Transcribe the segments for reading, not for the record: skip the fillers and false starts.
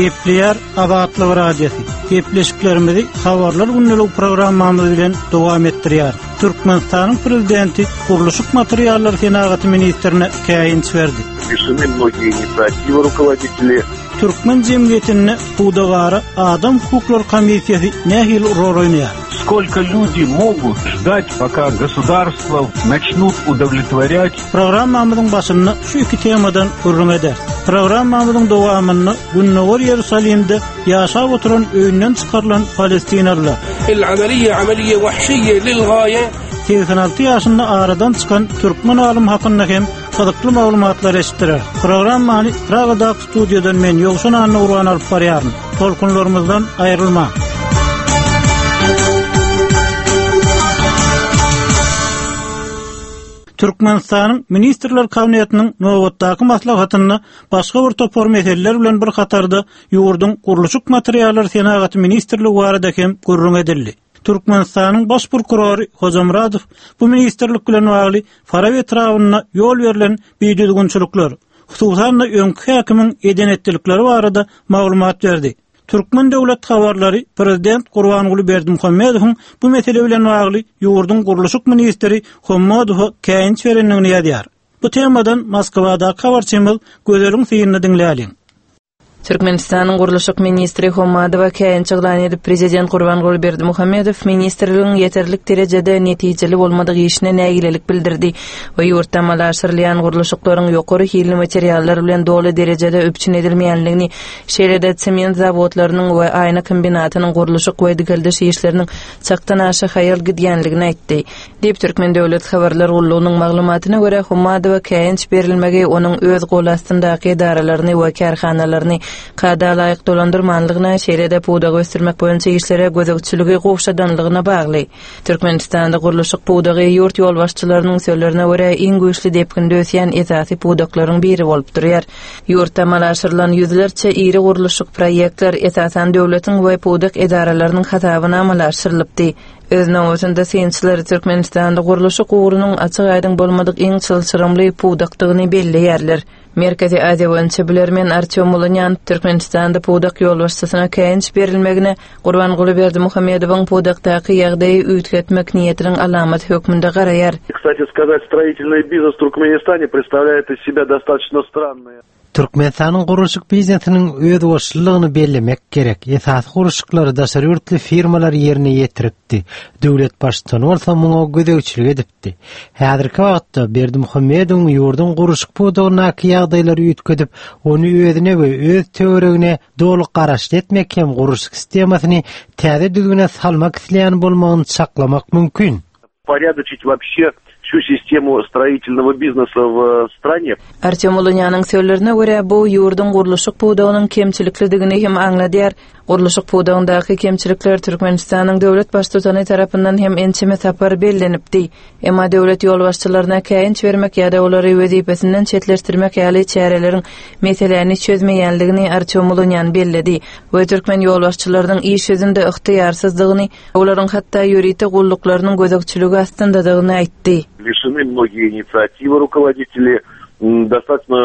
Gepleýär Azatlyk Radiosy. Gepleşiklerimizi Habarlar gündeligi programmamyz bilen dowam etdirýär. Türkmenistanyň Prezidenti gurluşyk materiallary senagaty ministrine käýinç berdi. Лишены многие инициативы руководители. Türkmen jemgyýetinde pudagara adam hukuklary komissiýasy nähili rol oýnaýar? Сколько люди могут ждать, пока государство начнут удовлетворять Programmamyzyň başynda şu iki temadan gürrüň ederis. Programmamyzyň dowamynda Gündogar Ýerusalimde ýaşap oturan öýünden çykarylan palestinalylar. El-amaliýe amaliýe wahşiýe lil-gaýe. 86 ýaşynda aradan çykan türkmen alymy hakynda hem gyzykly maglumatlar eşitdirer. Programmany Pragadaky studiýadan men Ýowşan Annagurban alyp barýaryn. Tolkunlarymyzdan aýrylmaň. Türkmenistanyň Ministrler Kabinetiniň nobatdaky maslahatynda başga bir topar meseleler bilen bir hatarda ýurduň Gurluşyk materiallary senagaty ministrligi barada hem gürrüň edildi. Türkmenistanyň Baş prokurory Hojamyradow bu ministrlik bilen bagly Farap etrabynda ýol berlen bidüzgünçilikler, hususan-da öňki häkimiň eden-etdilikleri barada maglumat berdi. Türkmen döwlet habarlary prezident Gurbanguly Berdimuhamedowyň bu mesele bilen bagly ýurduň gurluşyk ministri Hommadowa käýinç berendigini ýazýar. Bu temadan Moskwadaky habarçymyz Gözeliň synyny diňläliň. Türkmenistanyň gurluşyk ministri Hommadowa käýinç yglan edip, prezident Gurbanguly Berdimuhamedow ministrligiň ýeterlik derejede netijeli bolmadyk işine nägilelik bildirdi we ýurtda amala aşyrylýan gurluşyklaryň ýokary hilli materiallar bilen doly derejede üpjün edilmeýänligini Şeýle-de, sement zawodlarynyň we aýna kombinatynyň gurluşyk we dikeldiş işleriniň çakdan aşa haýal gidýänligini aýtdy. Diýip, Türkmen döwlet habarlar gullugynyň maglumatyna görä, Hommadowa käýinç berilmegi onuň öz gol astyndaky edaralaryny we kärhanalaryny kada laýyk dolandyrmanlygyna, şeýle-de pudagy ösdürmek boýunça işlere gözegçiligi gowşadanlygyna bagly. Türkmenistanda gurluşyk pudagy ýurt ýolbaşçylarynyň sözlerine görä, iň güýçli depginde ösýän esasy pudaklaryň biri bolup durýar. Ýurtda amala aşyrylan ýüzlerçe iri gurluşyk proýektler, esasan, döwletiň we pudak edaralarynyň hasabyna amala aşyrylypdy. Öz nobatynda synçylar Türkmenistanda gurluşyk ugrunyň açyk-aýdyň bolmadyk iň çylşyrymly pudakdygyny belleýärler. Merkezi Aziýa boýunça bilermen Artýom Mulunýan Türkmenistanda pudak ýolbaşçysyna käýinç berilmegine Gurbanguly Berdimuhamedowyň pudakdaky ýagdaýy üýtgetmek niýetiniň alamaty hökmünde garaýar. Kstati skazat, stroitelnyý biznes w Turkmenistane predstavlyaet iz sebya dostatoçno strannyý. Türkmenistanyň gurluşyk biznesiniň özboluşlylygyny bellemek gerek. Esasy gurluşyklary daşary ýurtly firmalar ýerine ýetiripdi. Döwlet Baştutany bolsa muňa gözegçilik edipdi. Häzirki wagtda Berdimuhamedowyň ýurduň gurluşyk pudagyndaky ýagdaýlary üýtgedip, ony özüne we öz töweregine doly garaşly etmek hem gurluşyk sistemasyny täze düzgüne salmak isleýän bolmagyny çaklamak mümkin. Uporyadoçit woobşe wsýu sistemu stroitelnogo biznesa w strane. Artýom Ulunýanyň sözlerine görä, bu ýurduň gurluşyk pudagynyň kemçiliklidigini hem aňladýar. Gurluşyk pudagyndaky kemçilikler Türkmenistanyň döwlet Baştutany tarapyndan hem ençeme sapar bellenipdi. Emma döwlet ýolbaşçylaryna käýinç bermek ýa-da olary wezipesinden çetleşdirmek ýaly çäreleriň meseläni çözmeýänligini Artýom Ulunýan belledi we türkmen ýolbaşçylarynyň iş ýüzünde ygtyýarsyzdygyny, olaryň hatda ýörite gulluklarynyň gözegçiligi astyndadygyny aýtdy. Lişeny mnogiýe inisiatiwy rukovoditeli, dostatoçno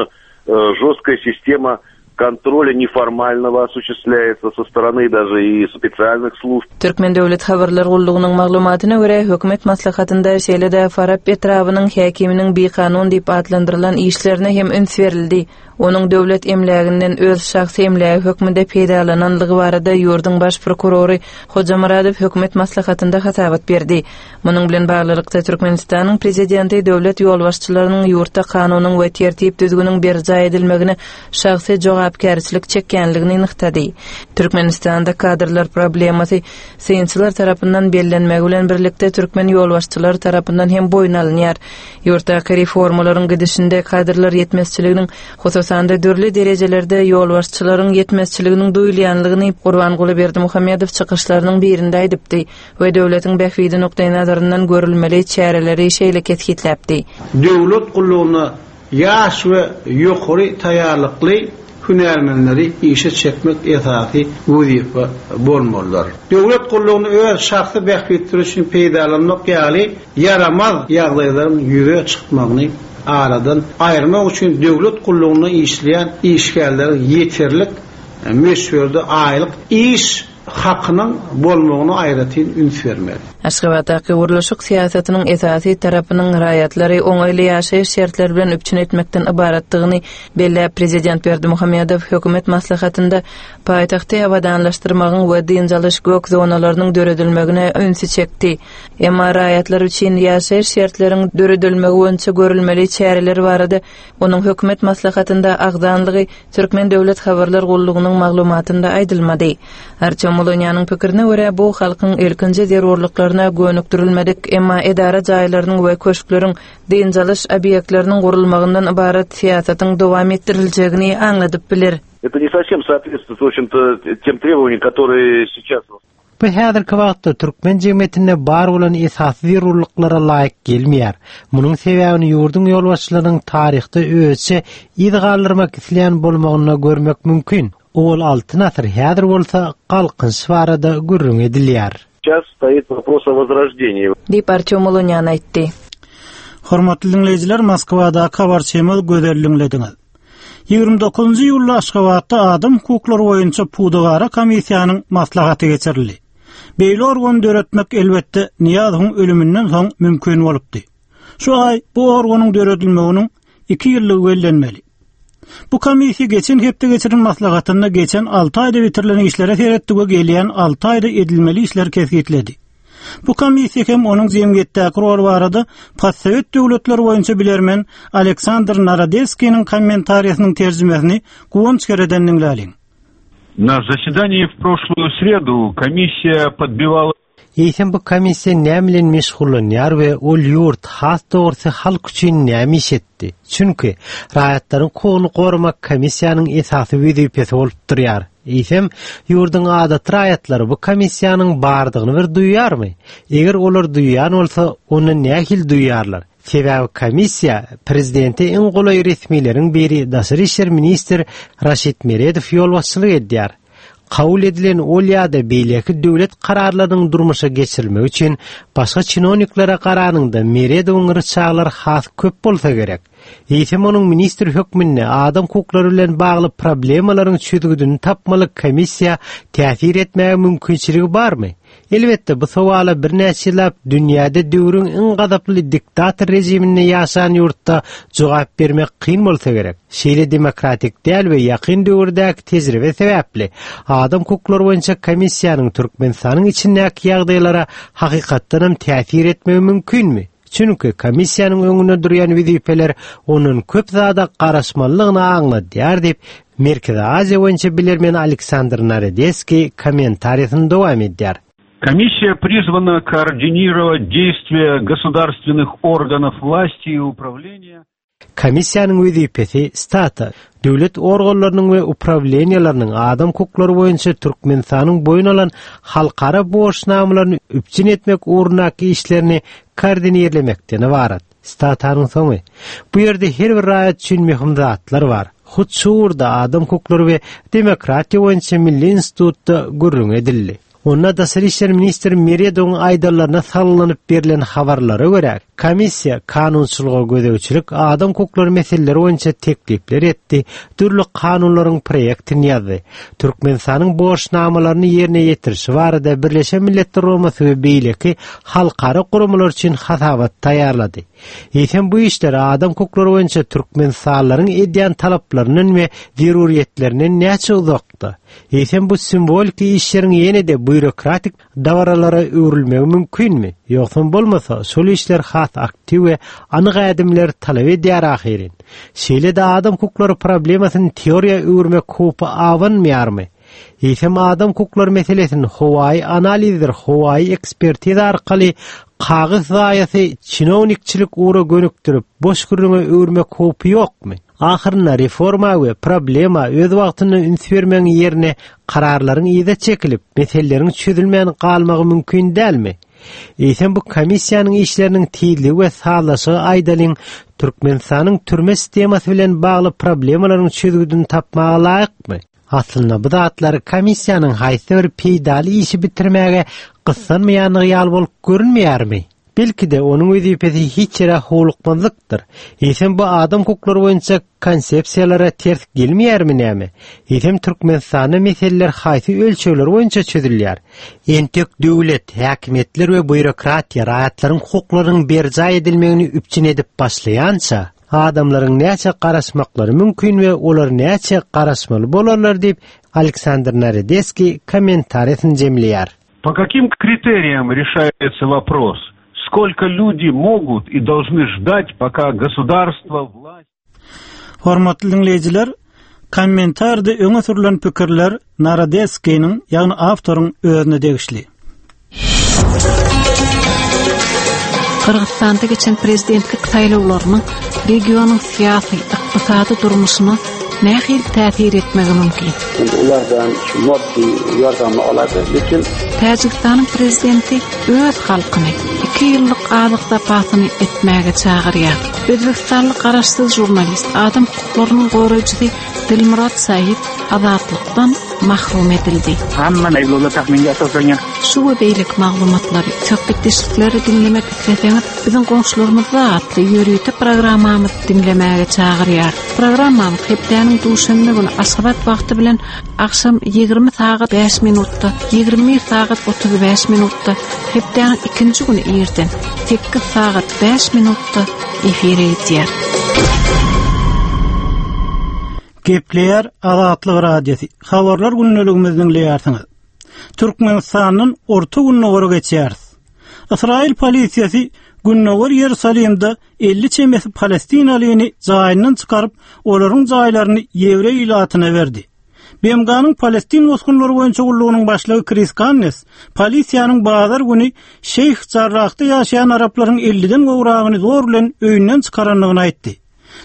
žestkaya sistema kontrolya neformalnogo osuçestlýaýetsa so storony daže i spesialnyh slujb. Türkmen döwlet habarlar gullugynyň maglumatyna görä, hökümet maslahatynda şeýle-de Farap etrabynyň häkiminiň bikanun diýip atlandyrylan işlerine hem üns berildi. Onuň döwlet emläginden öz şahsy emlägi hökmünde peýdalananlygy barada ýurduň baş prokurory Hojamyradow hökümet maslahatynda hasabat berdi. Munuň bilen baglylykda, Türkmenistanyň Prezidenti döwlet ýolbaşçylarynyň ýurtda kanunyň we tertip-düzgüniň berjaý edilmegine şahsy jogapkärçilik çekýänligini nygtady. Türkmenistanda kadrlar problemasy synçylar tarapyndan bellenmegi bilen birlikde türkmen ýolbaşçylary tarapyndan hem boýun alynýar. Ýurtdaky reformalaryň gidişinde kadrlar ýetmezçiliginiň, hususan-da dürli derejelerde ýolbaşçylaryň ýetmezçiliginiň duýulýanlygyny Gurbanguly Berdimuhamedow çykyşlarynyň birinde aýdypdy. we döwletiň bähbidi nukdaýnazaryndan görülmeli çäreleri şeýle kesgitläpdi. Döwlet gullugyna ýaş we ýokary taýýarlykly hünärmenleri işe çekmek esasy wezipe bolmalydyr. Döwlet gullugyny öz şahsy bähbitleri üçin peýdalanmak ýaly ýaramaz ýagdaýlaryň ýüze çykmagyny aradan aýyrmak üçin döwlet gullugynda işleýän işgärleriň ýeterlik. möçberde aýlyk iş hakynyň bolmagyna aýratyn üns bermeli. Aşgabatdaky gurluşyk syýasatynyň esasy tarapynyň raýatlary oňaýly ýaşaýyş şertleri bilen üpjün etmekden ybaratdygyny belläp, prezident Berdimuhamedow hökümet maslahatynda paýtagty abadanlaşdyrmagyň we dynç alyş gök zonalarynyň döredilmegine ünsi çekdi. Emma raýatlar üçin ýaşaýyş şertleriň döredilmegi boýunça görülmeli çäreler barada onuň hökümet maslahatynda agzanlygy Türkmen döwlet habarlar gullugynyň maglumatynda aýdylmady. Artýom Mulunýanyň pikirine görä, bu halkyň ilkinji zerurlyklaryna gönükdirilmedik, emma edara jaýlarynyň we köşkleriň, dynç alyş obýektleriniň gurulmagyndan ybarat syýasatyň dowam etdiriljegini aňladyp biler. Это не совсем соответствует, в общем-то, тем требованиям, которые сейчас Bu häzirki wagtda türkmen jemgyýetinde bar bolan esasy zerurlyklara laýyk gelmeýär. Munuň sebäbini ýurduň ýolbaşçylarynyň taryhda özüçe yz galdyrmak isleýän bolmagynda görmek mümkin. Owal Altyn asyr, häzir bolsa Galkynyş barada gürrüň edilýär. Сейчас стоит вопрос о возрождении. Diýip, Artýom Ulunýan aýtdy. Hormatly diňleýjiler, Moskwadaky habarçymyz Gözel diňlediňiz. 29-njy iýulda Aşgabatda adam hukuklary boýunça pudagara komissiýanyň maslahaty geçirildi. Beýle organy döretmek elbetde Nyýazowyň ölüminden soň mümkin bolupdy. Şu aý bu organyň döredilmeginiň iki ýyllygy bellenmeli. Bu komissiýa geçen hepde geçiren maslahatynda geçen alty aýda bitirilen işlere seretdi we gelýän alty aýda edilmeli işleri kesgitledi. Bu komissiýa hem onuň jemgyýetdäki roly barada postsowet döwletleri boýunça bilermen Aleksandr Narodelskiniň kommentariýasynyň terjimesini Guwanç Kereden diňläliň. Na zasedaniýi w proşluýu sredu komissiýa podbiwala Eýsem bu komissiýa näme bilen meşgullanýar we ol ýurt, has dogrusy halk üçin näme iş etdi? Çünki, raýatlaryň hukugyny goramak komissiýanyň esasy wezipesi bolup durýar. Eýsem, ýurduň adaty raýatlary bu komissiýanyň bardygyny bir duýýarmy? Eger olar duýýan bolsa, onda nähili duýýarlar? Sebäbi komissiýa prezidente iň golaý resmileriň biri daşary işler ministr Raşid Meredow ýolbaşçylyk edýär. Kabul edilen ol ýa-da beýleki döwlet kararlarynyň durmuşa geçirilmegi üçin başga çinowniklere garanyňda Meredowyň ryçaglary has köp bolsa gerek. Eýsem onuň ministr hökmünde adam hukuklary bilen bagly problemalaryň çözgüdini tapmaly komissiýa täsir etmäge mümkinçiligi barmy? Elbetde, bu sowala birnäçe ýyllap dünýäde döwrüň iň gazaply diktator režiminde ýaşan ýurtda jogap bermek kyn bolsa gerek. Şeýle demokratik däl we ýakyn döwürdäki tejribe sebäpli adam hukuklary boýunça komissiýanyň Türkmenistanyň içindäki ýagdaýlara hakykatdanam täsir etmegi mümkinmi? Çünki komissiýanyň öňünde durýan wezipeler ondan köp zada garaşmalydygyny aňladýar diýip, Merkezi Aziýa boýunça bilermen Aleksandr Narodeskiý kommentariýasyny dowam edýär. Komissiýa prizwana koordinirowat deýstwiýa gosudarstwennych organow wlasti i uprawleniýa. Komissiýanyň wezipesi stata, döwlet organlarynyň we uprawleniýalarynyň adam hukuklary boýunça Türkmenistanyň boýun alan halkara borçnamalaryny üpjün etmek ugrundaky işlerini koordinirlemekden ybarat. Statanyň soňy. Bu ýerde her bir raýat üçin möhüm zatlar bar. Hut şu ugurda adam hukuklary we demokratiýa boýunça milli institutda gürrüň edildi. Onda daşary işler ministri Meredowyň aýdanlaryna salgylanyp berlen habarlara görä, komissiýa kanunçylyga gözegçilik, adam hukuklary meseleleri boýunça teklipler etdi, dürli kanunlaryň proýektini ýazdy. Türkmenistanyň borçnamalaryny ýerine ýetirişi barada Birleşen Milletler Guramasy we beýleki halkara guramalar üçin hasabat taýýarlady. Eýsem bu işler adam hukuklary boýunça türkmenistanlylaryň edýän talaplaryndan we zeruryýetlerinden näçe uzakda? Eýsem bu simwoliki işleriň ýene-de býurokratik dabaralara öwrülmegi mümkinmi? Ýogsam bolmasa, şol işler has aktiw we anyk ädimleri talap edýär ahyryn. Şeýle-de adam hukuklary problemasyny teoriýa öwürmek howpy abanmaýarmy? Eýsem adam hukuklary meselesini howaýy analizdir howaýy ekspertiza arkaly kagyz zaýasy çinownikçilik ugra gönükdirip boş gürrüňe öwürmek howpy ýokmy? Ahyrynda reforma we problema öz wagtynda üns bermegiň ýerine kararlaryň yza çekilip, meseleleriň çözülmän galmagy mümkin dälmi? Eýsem bu komissiýanyň işleriniň tizligi we sazlaşygy aýdalyň Türkmenistanyň türme sistemasy bilen bagly problemalaryň çözgüdini tapmaga laýykmy? Aslynda bu zatlar komissiýanyň haýsy bir peýdaly işi bitirmäge gyssanmaýandygy ýaly bolup görünmeýärmi? Belki-de, onuň wezipesi hiç ýere howlukmazlykdyr. Eýsem bu adam hukuklary boýunça konsepsiýalara ters gelmeýärmi näme? Eýsem Türkmenistanda meseleler haýsy ölçegler boýunça çözülýär? Entek döwlet, häkimiýetler we býurokratiýa raýatlaryň hukuklarynyň berjaý edilmegini üpjün edip başlaýança, adamlaryň näçe garaşmaklary mümkin we olar näçe garaşmaly bolarlar diýip, Aleksandr Narodeskiý kommentariýasyny jemleýär. По каким критериям решается вопрос, сколько люди могут и должны ждать, пока государство, власть... Hormatly diňleýjiler, kommentarda öňe sürlen pikirler Narodeskiniň, ýagny awtoryň özüne degişli. Gyrgyzystanda geçen prezidentlik saýlawlarynyň regionyň syýasy, ykdysady durmuşyna nähili täsir etmegi mümkin? Endi ulardan shu moddiy yordamni oladi, lekin Täjigistanyň prezidenti öz halkyny iki ýyllyk azyk zapasyny etmäge çagyrýar. Özbegistanly garaşsyz žurnalist, adam hukuklarynyň goraýjysy Dilmurod Said azatlykdan mahrum edildi. Hamma ayblovlar taxminga asoslangan. Şu we beýleki maglumatlary, söhbetdeşlikleri diňlemek isleseňiz, biziň goňşularymyzda atly ýörite programmamyzy diňlemäge çagyrýar. Programmamyz hepdäniň duşenbe güni Aşgabat wagty bilen agşam 20 sagat 5 minutda, 21 sagat 35 minutda, hepdäniň ikinji güni irden 8 sagat 5 minutda efire gidýär. Gepleýär Azatlyk Radiosy. Habarlar gündeligimizi diňleýärsiňiz. Türkmenistandan Orta Gündogara geçýäris. Ysraýyl polisiýasy Gündogar Ýerusalimde 50 çemesi palestinalyny jaýyndan çykaryp, olaryň jaýlaryny ýewreý ilatyna berdi. BMG-niň Palestin bosgunlary boýunça gullugynyň başlygy Kris Gannes polisiýanyň bazar güni Şeýh Jarrahda ýaşaýan araplaryň 50-den gowragyny zor bilen öýünden çykarandygyny aýtdy.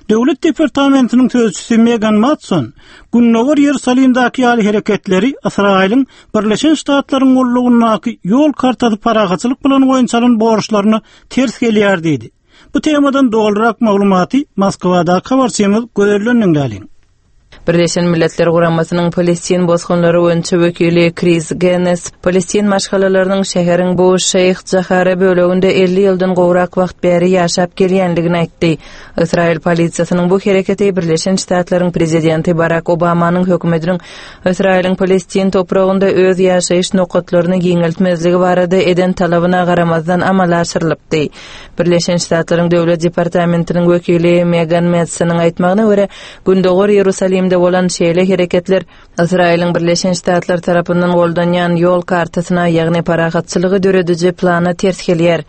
Döwlet departamentiniň sözçüsi Megan Matson Gündogar Ýerusalimdäki ýaly hereketleri Ysraýylyň Birleşen Ştatlaryň gullugyndaky ýol kartasy parahatçylyk plany boýunça alan borçlaryna ters gelýär diýdi. Bu temadan dolurak maglumaty Moskwadaky habarçymyz Gözelden diňläliň. Birleşen Milletler Guramasynyň palestin bosgunlary boýunça wekili Kris Gennes palestin maşgalalarynyň şäheriň bu Şeýh Jahara böleginde 50 ýyldan gowrak wagt bäri ýaşap gelýändigini aýtdy. Ysraýyl polisiýasynyň bu hereketi Birleşen Ştatlaryň prezidenti Barak Obamanyň hökümetiniň Ysraýylyň palestin topragynda öz ýaşaýyş nokatlaryny giňeltmezligi barada eden talabyna garamazdan amala aşyrylypdy. Birleşen Ştatlaryň Döwlet departamentiniň wekili Megan Metsonyň aýtmagyna görä, Gündogar Ýerusalimde bolan şeýle hereketler Ysraýylyň Birleşen Ştatlar tarapyndan goldanýan ýol kartasyna, ýagny parahatçylygy dörediji plana ters gelýär.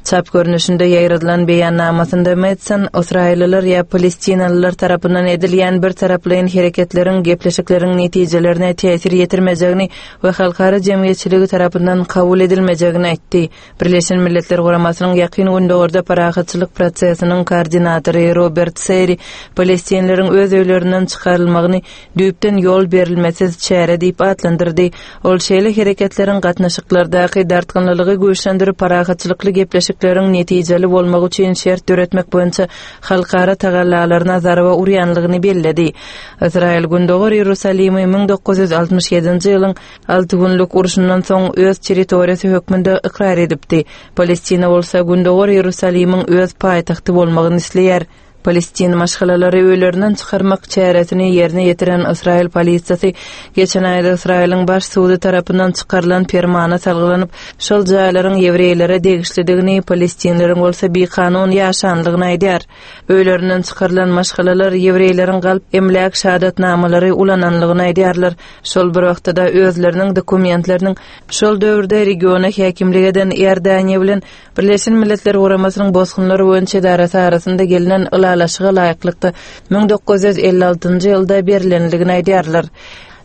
Çap görnüşinde ýaýradylan beýannamasynda Metson ysraýyllylar ýa palestinalylar tarapyndan edilýän birtaraplaýyn hereketleriň gepleşikleriň netijelerine täsir ýetirmejegini we halkara jemgyýetçiligi tarapyndan kabul edilmejegini aýtdy. Birleşen Milletler Guramasynyň Ýakyn Gündogarda parahatçylyk prosesiniň koordinatory Robert Serri palestinleriň öz öýlerinden çykarylmagyny düýpden ýol berilmesiz çäre diýip atlandyrdy. Ol şeýle hereketleriň gatnaşyklardaky dartgynlylygy güýçlendirip, parahatçylykly gepleşikleriň netijeli bolmagy üçin şert döretmek boýunça halkara tagallalaryna zarba urýanlygyny belledi. Ysraýyl Gündogar Iýerusalimi 1967-nji ýylyň Alty günlük urşundan soň öz territoriýasy hökmünde ykrar edipdi. Palestina bolsa Gündogar Iýerusalimiň öz paýtagty bolmagyny isleýär. Palestin maşgalalary öýlerinden çykarmak çäresini ýerine ýetiren Ysraýyl polisiýasy geçen aýda Ysraýylyň baş sudy tarapyndan çykarylan permana salgylanyp, şol jaýlaryň ýewreýlere degişlidigini, palestinleriň bolsa bikanun ýaşanlygyny aýdýar. Öýlerinden çykarylan maşgalalar ýewreýleriň galp emläk şahadatnamalary ulananlygyny aýdýarlar. Şol bir wagtda-da özleriniň dokumentleriniň şol döwürde regiona häkimlik eden Iordaniýa bilen Birleşen Milletler Guramasynyň Bosgunlar boýunça edarasy arasynda gelnen ylalaşyga laýyklykda 1956-njy ýylda berlendigini aýdýarlar.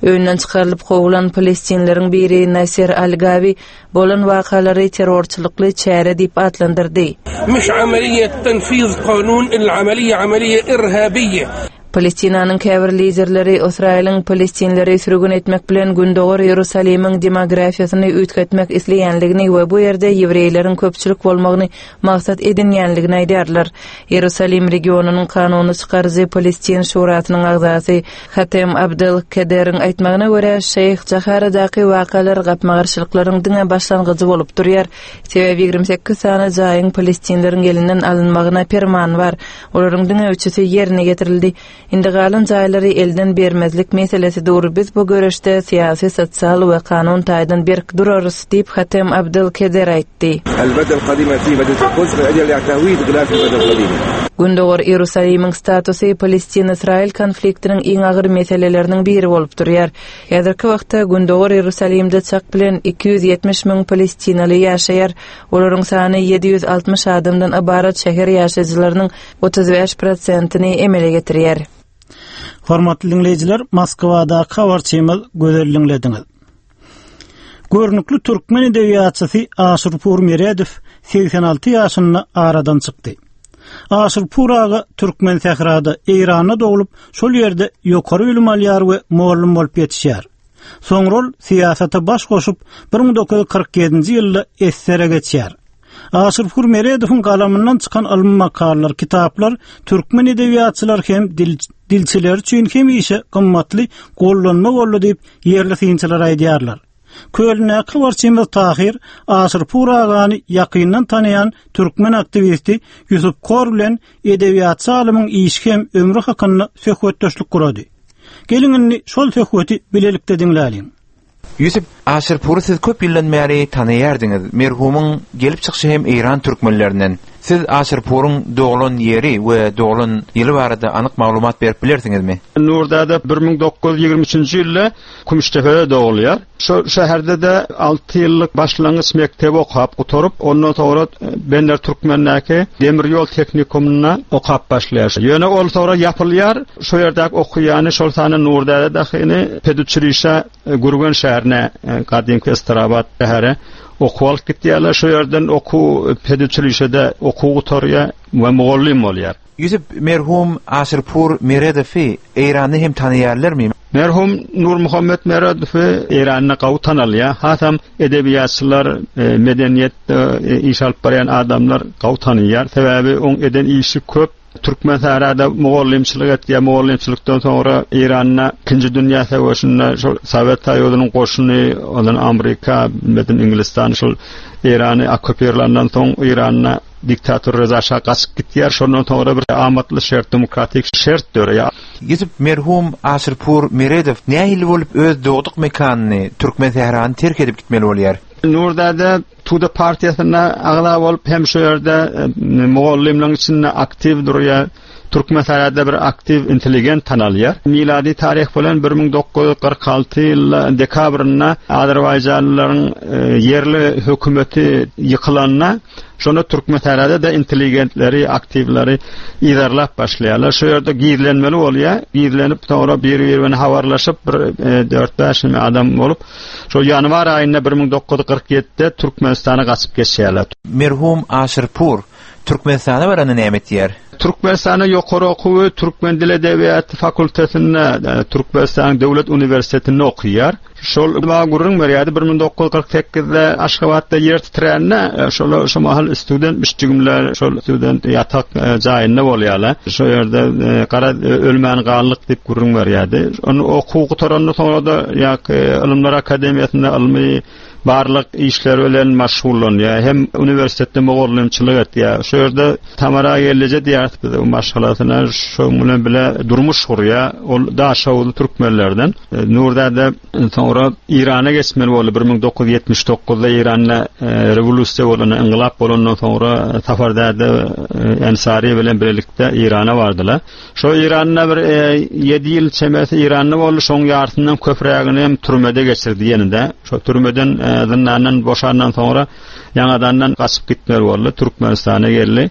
Öýünden çykarylyp kowulan palestinleriň biri Nasser Al-Gawi bolan wakalary terrorçylykly çäre diýip atlandyrdy. Müş amaliýet tenfiz kanun il amaliýe amaliýe irhabiýe. Palestinanyň käbir liderleri Ysraýylyň palestinleri sürgün etmek bilen Gündogar Iýerusalimiň demografiýasyny üýtgetmek isleýänligini we bu ýerde ýewreýleriň köpçülik bolmagyny maksat edinýänligini aýdýarlar. Iýerusalim regionynyň kanuny çykaryjy Palestin şurasynyň agzasy Hatem Abdel Kederiň aýtmagyna görä, Şeýh Jaharadaky wakalar gapma-garşylyklaryň diňe başlangyjy bolup durýar, sebäbi 28 sany jaýyň palestinleriň elinden alynmagyna perman bar. Olaryň diňe üçüsi ýerine ýetirildi. Indi galan jaýlary elden bermezlik meselesi dur. Biz bu göreşde syýasy, sosial we kanun taýdan berk durarys, diýip, Hatem Abdel Keder aýtdy. Gündogar Iýerusalimiň statusy Palestin-Ysraýyl konfliktiniň iň agyr meseleleriniň biri bolup durýar. Häzirki wagtda Gündogar Iýerusalimde çak bilen 270 müň palestinaly ýaşaýar. Olaryň sany 760 adamdan ybarat şäher ýaşaýjylarynyň 35 prosentini emele getirýär. Hormatly diňleýjiler, Moskwadaky habarçymyz Gözel diňlediňiz. Görnükli türkmen edebiýatçysy Aşyrpur Meredow 86 ýaşynda aradan çykdy. Aşyrpur aga Türkmensährada, Eýranda doglup, şol ýerde ýokary bilim alýar we mugallym bolup ýetişýär. Soňra ol syýasata baş goşup, 1947-nji ýylda SSR-e geçýär. Aşyrpur Meredowyň galamyndan çykan ylmy makalalar, kitaplar türkmen edebiýatçylary hem dilçileri üçin hemişe gymmatly gollanma boldy diýip, ýerli synçylar aýdýarlar. Kölündäki habarçymyz Tahyr Aşyrpur agany ýakyndan tanaýan türkmen aktiwisti Ýusup Kor bilen edebiýatçy alymyň işi hem ömri hakynda söhbetdeşlik gurady. Geliň indi şol söhbeti bilelikde diňläliň. Ýusup, Aşyrpury siz köp ýyldan bäri tanaýardyňyz. Merhumyň gelip çykyşy hem eýran türkmenlerinden. Siz Aşyrpuryň doglan ýeri we doglan ýyly barada anyk maglumat berip bilersiňizmi? Nurdäde 1923-nji ýylda Kümüşdepede dogulýar. Şol şäherde-de alty ýyllyk başlangyç mekdebi okap gutaryp, ondan soňra Bender Türkmendäki demir ýol tehnikumynda okap başlaýar. Ýöne ol soňra ýapylýar. Şo ýerdäki okaýany, şol sanda Nurdäde dahyny peduçilişä Gürgen şäherine, gadymky Estrabat şähere okuwa alyp gitýärler. Şo ýerden okuw peduçilişede okuw gutarýar we mugallym bolýar. Ýusup, merhum Aşyrpur Meredowy Eýranda hem tanaýarlarmy? Merhum Nurmuhammet Meredowy Eýranda gawy tanalýar. Hasam edebiýatçylar, medeniýetde iş alyp barýan adamlar gawy tanaýar. Sebäbi oň eden işi köp. Türkmensährada mugallymçylyk etýär. Mugallymçylykdan soňra Eýranda Ikinji dünýä söweşinde şol Sowet Soýuzynyň goşuny, ondan Amerika, bilmedim Iňlistan şol Eýrany okkupirländan soň Eýranda Diktator Reza şa gaçyp gitýär. Şondan soňra bir amatly şert, demokratik şert döreýär. Ýusup merhum Aşyrpur Meredow nähili bolup öz dogduk mekanyny, Türkmensährany terk edip gitmeli bolýar? Nurdäde Tuda partiýasynda agza bolup hem şu ýerde mugallymlaryň içinde aktiw durýar. Türkmensährada bir aktiw intelligent tanalýar. Milady taryh bilen 1946 ýylda dekabrynda azerbaýjanlylaryň ýerli hökümeti ýykylanda, şonda Türkmensährada-da intelligentleri, aktiwleri yzarlap başlaýarlar. Şu ýerde gizlenmeli bolýar. Gizlenip, soňra bir-biri bilen habarlaşyp, bir dört-bäş adam bolup, şol ýanwar aýynda 1947-de Türkmenistana gaçyp geçýärler. Merhum Aşyrpur Türkmenistana baranda näme etýär? Türkmenistanda ýokary okuwy türkmen dil edebiýaty fakultetinde, Türkmenistanyň döwlet uniwersitetinde okaýar. Şol maňa gürrüň berýärdi, 1948-de Aşgabatda ýer titrände, şol şo mahal studentmiş jigimler, şol student ýatak jaýynda bolýarlar. Şo ýerde gara ölmän galdyk diýip gürrüň berýärdi. Ony okuw gutarandan soňra-da ýa-ki Ylymlar akademiýasynda ylmy barlag işleri bilen maşgullanýar, hem uniwersitetde mugallymçylyk etýär. Şu ýerde Tamara gelneje diýýäris biz oň maşgalasyna, şoň bilen bile durmuş gurýar. Ol daşoguzly türkmenlerden. Nurdäde soňra Eýrana geçmeli boldy. 1979-da Eýranda rewolýusiýa bolanda, yngylap bolandan soňra Safar däde Ensari bilen bilelikde Eýrana bardylar. Şo Eýranda bir ýedi ýyl çemesi Eýranda boldy, şoň ýarysyndan köprägini hem türmede geçirdi ýene-de. Şo türmeden, zyndandan boşandan soňra ýaňadandan gaçyp gitmeli boldy, Türkmenistana geldi.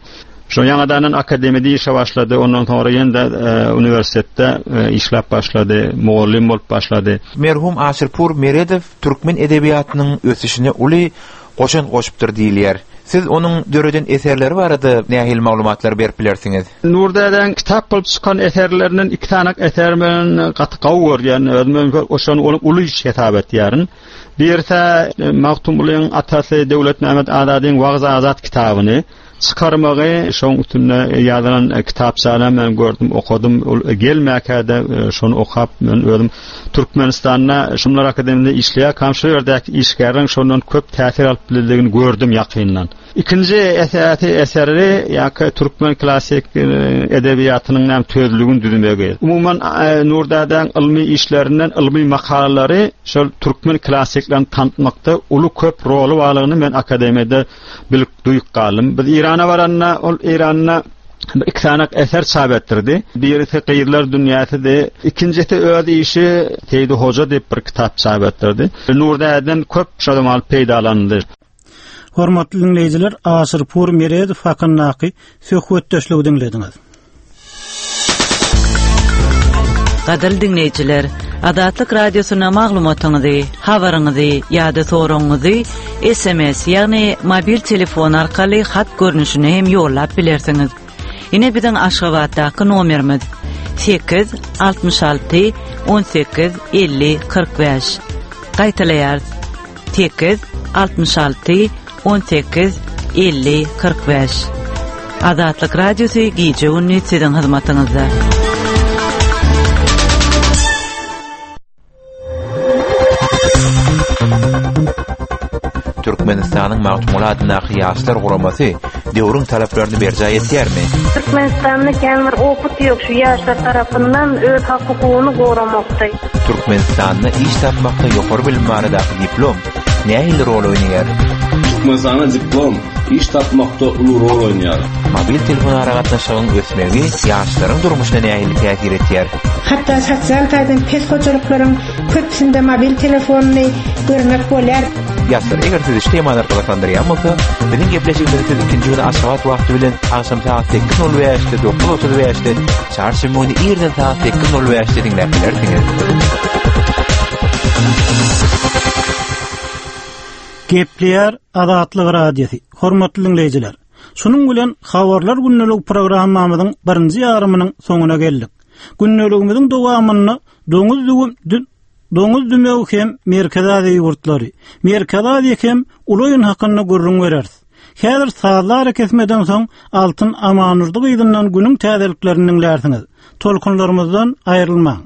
Şo ýaňadandan akademiýada işe başlady, ondan soňra ýene-de uniwersitetde işläp başlady, mugallym bolup başlady. Merhum Aşyrpur Meredow türkmen edebiýatynyň ösüşine uly. goşant goşupdyr diýilýär. Siz onuň döreden eserleri barada nähili maglumatlary berip bilersiňiz? Nury dädäň kitap bolup çykan eserlerinden iki sany eseri men gaty gowy görýän, özüm şony uly iş hesap etýärin. Birisi Magtymgulyň atasy Döwletmämmet Azadyň Wagyz-Azat kitabyny çykarmagy, şoň üstünde ýazylan kitapçany men gördüm, okadym. Ol gelmäkä-de şony okap, men özüm Türkmenistanda Şumlar akademiýasynda işleýärkäm şo ýerdäki işgärleriň şondan köp täsir alyp bilendigini gördüm ýakyndan. Ikinji esasy eseri ýa-ki türkmen klassyk edebiýatynyň näme sözlügini düzmegi. Umuman Nurdädäň ylmy işlerinden ylmy makalalary şol türkmen klassyklaryny tanıtmakda uly köp roly barlygyny men akademiýada bilip duýup galdym. Biz Eýrana baranda ol Eýranda bir iki sany eser çap etdirdi. Birisi Gyzlar dünýäsidi, ikinjisi öz işi Seýdi Hoja diýip bir kitap çap etdirdi. Nurdäden köp şol mal peýdalanyldy. Hormatly diňleýjiler, Aşyrpur Meredow hakyndaky söhbetdeşligi diňlediňiz. Gadyrly diňleýjiler, Azatlyk Radiosyna maglumatyňyzy, habaryňyzy ýa-da soragyňyzy SMS, ýagny mobil telefon arkaly hat görnüşinde hem ýollap bilersiňiz. Ine biziň Aşgabatdaky nomerimiz 8 66 18 50 45. Gaýtalaýarys. 8 66 18 50 45. Azatlyk Radiosy gije-gündiz siziň hyzmatyňyzda. Türkmenistanyň Magtymguly adyndaky Ýaşlar guramasy döwrüň talaplaryny berjaý etýärmi? Türkmenistanda kän bir opyt ýok şu ýaşlar tarapyndan öz hak-hukugyny goramakda. Türkmenistanda iş tapmakda ýokary bilim baradaky diplom nähili rol oýnaýar? Türkmenistanda diplom iş tapmakda uly rol oýnaýar. Mobil telefon aragatnaşygyň ösmegi ýaşlaryň durmuşyna nähili täsir etýär? Hatda sosial taýdan pes hojalyklaryň köpüsinde mobil telefonyny görmek bolýar. Ýaşlar, eger sizi şu temalar gyzyklandyrýan bolsa, biziň gepleşigimizi siz ikinji güni Aşgabat wagty bilen agşam sagat 8:05-de, 9:35-de, çarşenbe güni irden sagat 8:05-de diňläp bilersiňiz. Gepleýär Azatlyk Radiosy. Hormatly diňleýjiler, şunuň bilen Habarlar gündelik programmamyzyň birinji ýarymynyň soňuna geldik. Gündeligimiziň dowamynda doňuz düwüm doňuz dümewi hem Merkezi Aziýa ýurtlary, Merkezi Aziýa hem uly oýun hakynda gürrüň bereris. Häzir sazly arakesmeden soň Altyn Amandurdy gyzyndan günüň täzeliklerini diňlärsiňiz. Tolkunlarymyzdan aýrylmaň.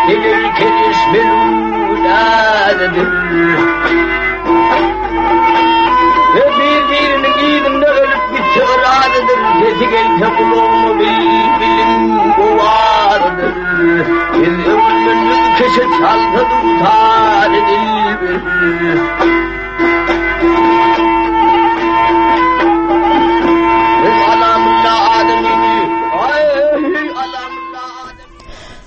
Gelir keliş melun adydyr. Ve bir-biriniň yzynda ölüp gitse yradydyr. Sesi gelse gulagyma bilbiliň owazydyr. Biz öwünmenmiz keşe çalsa dutar dilbir.